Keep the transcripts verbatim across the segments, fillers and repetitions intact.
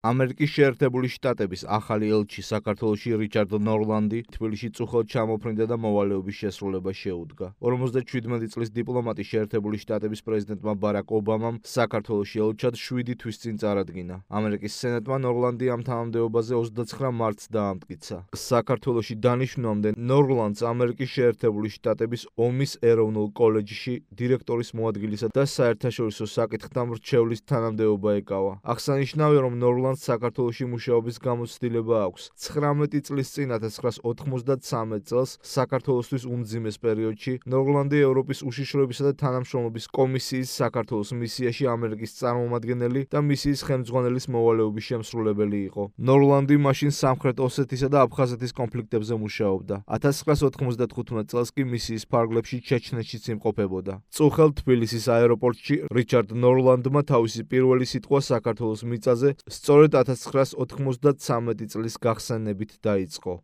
ამერიკის შეერთებული შტატების ახალი ელჩი საქართველოში რიჩარდ ნორლანდი თბილისში წუხად ჩამოფრინდა და მოვალეობის შესრულება შეუდგა. ორმოცდაჩვიდმეტი წლის დიპლომატი შეერთებული შტატების პრეზიდენტმა ბარაკ ობამამ საქართველოში ელჩად შვიდი თვის წინ წარადგინა. ამერიკის სენატმა ნორლანდი ამ თანამდებობაზე ოცდაცხრა მარტს დაამტკიცა. საქართველოში დანიშნვამდე ნორლანდს ამერიკის შეერთებული შტატების ომის ეროვნულ კოლეჯში დირექტორის მოადგილისა და საერთაშორისო საკითხთა მრჩევლის თანამდებობა ეკავა. აღსანიშნავია, რომ ნორლანდი საქართველოში მუშაობის გამოცდილება აქვს. ცხრამეტი წლის წინ ათას ცხრაას ოთხმოცდათსამეტ წელს საქართველოსთვის უმძიმეს პერიოდში ნორლანდი ევროპის უშიშროებისა და თანამშრომლობის კომისიის საქართველოს მისიაში ამერიკის წარმომადგენელი და მისიის ხელმძღვანელის მოვალეობის შემსრულებელი იყო. ნორლანდი მაშინ სამხრეთ ოსეთისა და აფხაზეთის კონფლიქტებზე მუშაობდა. ათას ცხრაას ოთხმოცდათხუთმეტ წელს კი მისიის ფარგლებში ჩეჩნეთშიც იმყოფებოდა. წუხელ თბილისის აეროპორტში რიჩარდ ნორლანდმა თავისი პირველი სიტყვა საქართველოს მიწაზე სწორედ ათას ცხრაას ოთხმოცდათსამეტი წლის გახსენებით დაიწყო.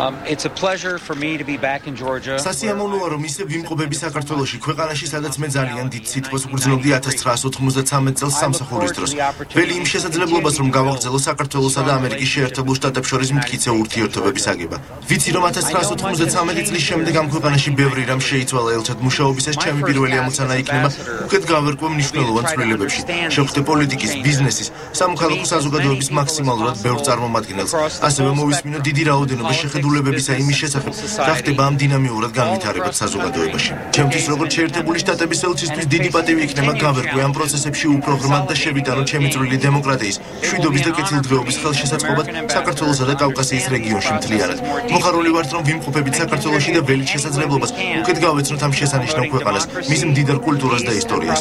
Um, it's a pleasure for me to be back in Georgia. სასიამოვნოა, რომ ისე ვიმყოფები საქართველოში, ქვეყანაში, სადაც მე ძალიან დიდ სიტყვას ვგრძნობდი ათას ცხრაას ოთხმოცდათსამეტ წელს სამსახურის დროს. ველი იმ შესაძლებლობას, რომ გავაგრძელო საქართველოსა და ამერიკის შეერთებულ შტატებს შორის მტკიცე ურთიერთობების აგება. ვიცი, რომ ათას ცხრაას ოთხმოცდათსამეტი წლის შემდეგ ამ ქვეყანაში ბევრი რამ შეიცვალა ელჩად მუშაობისას, ჩემი პირველი ამოცანა იქნება უკეთ გავერკვე მნიშვნელოვან ცვლილებებში. შევხვდე პოლიტიკის, ბიზნესის, სამოქალაქო საზოგადოების მაქსიმალურად ბევრ წარმომადგენელს. ასევე მოვისმინო დიდი რაოდენობა შეხედულებებისა იმის შესახებ, რა ხდება ამ დინამიურად განვითარებად საზოგადოებაში. ჩემთვის როგორც შეერთებული შტატების ელჩისთვის დიდი პატივი იქნება გავერკვე ამ პროცესებში უფრო ღრმად და შევიტანო ჩემი წვრილი დემოკრატიის, მშვიდობის და კეთილდღეობის ხელშესაწყობად საქართველოსა და კავკასიის რეგიონში მთლიანად. მოხარული ვართ, რომ ვიმყოფებით საქართველოში და ველით შესაძლებლობას უკეთ გავეცნოთ ამ შესანიშნავ ქვეყანას, მის მდიდარ კულტურას და ისტორიას.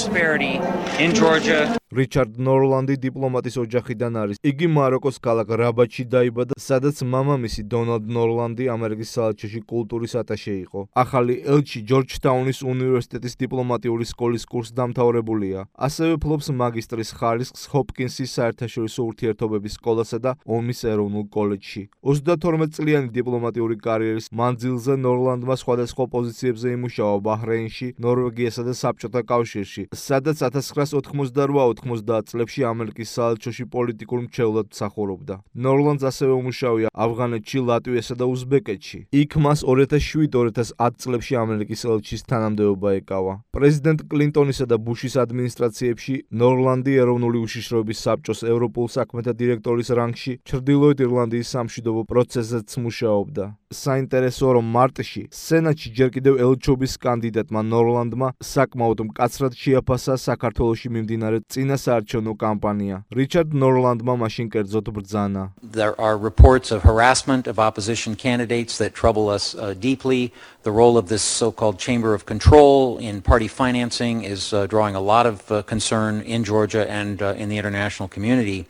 რიჩარდ ნორლანდი დიპლომატის ოჯახიდან არის. იგი მაროკოს ქალაქ რაბატში დაიბადა, სადაც მამამისი დონალდ ნორლანდი ამერიკის საელჩოში კულტურის ატაშე იყო. ახალი ელჩი ჯორჯტაუნის უნივერსიტეტის დიპლომატიური სკოლის კურსდამთავრებულია. ასევე ფლობს მაგისტრის ხარისხს ჰოპკინსის საერთაშორისო ურთიერთობების სკოლასა და ომის ეროვნულ კოლეჯში. ოცდათორმეტ წლიანი დიპლომატიური კარიერის მანძილზე ნორლანდმა სხვადასხვა პოზიციებზე იმუშავა ბაჰრეინში, ნორვეგიასა და საბჭოთა კავშირში, სადაც ათას ცხრაას ოთხმოცდარვა ოთხმოცდაათ წლებში ამერიკის საელჩოში პოლიტიკურ მრჩევლად მსახურობდა. ნორლანდს ასევე უმუშავია ავღანეთში, ლატვიასა და უზბეკეთში. იქ მას ორი ათას შვიდ ორი ათას ათ წლებში ამერიკის ელჩის თანამდებობა ეკავა. პრეზიდენტ კლინტონისა და ბუშის ადმინისტრაციებში ნორლანდი ეროვნული უშიშროების საბჭოს ევროპულ საქმეთა დირექტორის რანგში ჩრდილოეთ ირლანდიის სამშვიდობო პროცესზეც მუშაობდა. საინტერესოა, რომ მარტში სენატში ჯერ კიდევ ელჩობის კანდიდატმა ნორლანდმა საკმაოდ მკაცრად შეაფასა საქართველოში მიმდინარე წინასაარჩევნო კამპანია. რიჩარდ ნორლანდმა მაშინ კერძოდ ბრძანა. There are reports of harassment of opposition candidates that trouble us uh, deeply. The role of this so-called chamber of control in party financing is uh, drawing a lot of uh, concern in Georgia and uh, in the international community.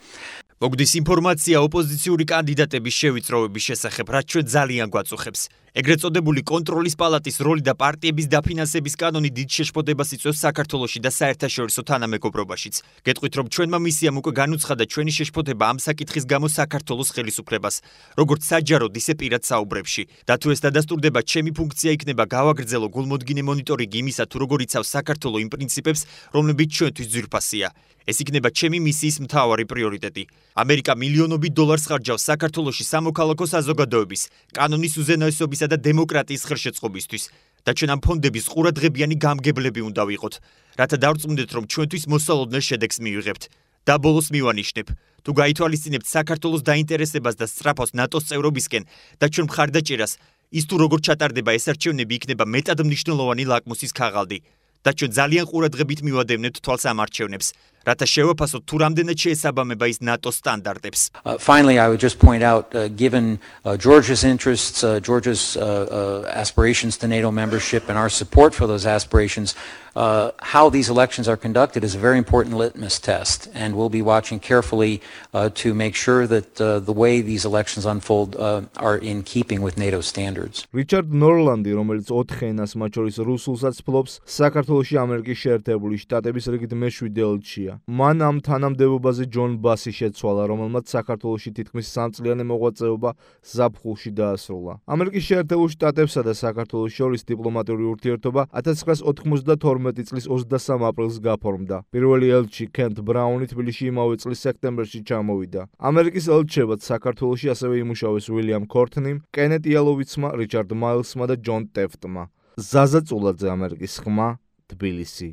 მოგდის ინფორმაცია ოპოზიციური კანდიდატების შევიწროების შესახებ, რაც ჩვენ ძალიან გვაწუხებს. ეგრეთ წოდებული კონტროლის პალატის როლი და პარტიების დაფინანსების კანონი დიდ შეშფოთებას იწვევს საქართველოში და საერთაშორისო თანამეგობრობაშიც. გეტყვით, რომ ჩვენმა მისიამ უკვე განუცხადა ჩვენი შეშფოთება ამ საკითხის გამო საქართველოს ხელისუფლებას, როგორც საჯაროდ, ისე პირად საუბრებში. და თუ ეს დადასტურდება, ჩემი ფუნქცია იქნება გავაგრძელო გულმოდგინე მონიტორინგი იმისა, თუ როგორ იცავს საქართველო იმ პრინციპებს, რომლებიც ჩვენთვის ძვირფასია. ეს იქნება ჩემი მისიის მთავარი პრიორიტეტი. ამერიკა მილიონობით დოლარს ხარჯავს საქართველოში სამოქალაქო საზოგადოების, კანონის უზენაესობისა და დემოკრატიის ხელშეწყობისთვის და ჩვენ ამ ფონდების ყურადღებიანი გამგებლები უნდა ვიყოთ, რათა დავწმუნდეთ, რომ ჩვენთვის მოსალოდნელ შედეგს მივიღებთ. და ბოლოს მივანიშნებ, თუ გაითვალისწინებთ საქართველოს დაინტერესებას და სწრაფოს ნატოს წევრობისკენ და ჩვენ მხარდაჭერას, ის თუ როგორ ჩატარდება ეს არჩევნები იქნება მეტად მნიშვნელოვანი ლაკმუსის ქაღალდი. და ჩვენ ძალიან ყურადღებით მივადევნებთ თვალს ამ არჩევნებს, რათა შევაფასოთ თუ რამდენად შეესაბამება ის ნატოს სტანდარტებს. Uh, finally, I would just point out, uh, given uh, Georgia's interests, uh, Georgia's uh, uh, aspirations to NATO membership and our support for those aspirations, uh, how these elections are conducted is a very important litmus test, and we'll be watching carefully uh, to make sure that uh, the way these elections unfold uh, are in keeping with NATO standards. რიჩარდ ნორლანდი, რომელიც ოთხ ენას, მათ შორის რუსულსაც ფლობს, საქართველოში ამერიკის შეერთებული შტატების რიგით მეშვიდე ელჩია. მიღებულია. მან ამ თანამდებობაზე ჯონ ბასი შეცვალა, რომელმაც საქართველოში თითქმის სამწლიანი მოღვაწეობა ზაფხულში დაასრულა. ამერიკის შეერთებულ შტატებსა და საქართველოს შორის დიპლომატიური ურთიერთობა ათას ცხრაას ოთხმოცდათორმეტი წლის ოცდასამ აპრილს გაფორმდა. პირველი ელჩი კენთ ბრაუნი თბილისში იმავე წლის სექტემბერში ჩამოვიდა. ამერიკის ელჩებად საქართველოში ასევე იმუშავეს უილიამ ქორთნიმ, კენეტ იალოვიცმა, რიჩარდ მაილსმა და ჯონ ტეფტმა. ზაზა წულაძე, ამერიკის ხმა, თბილისი.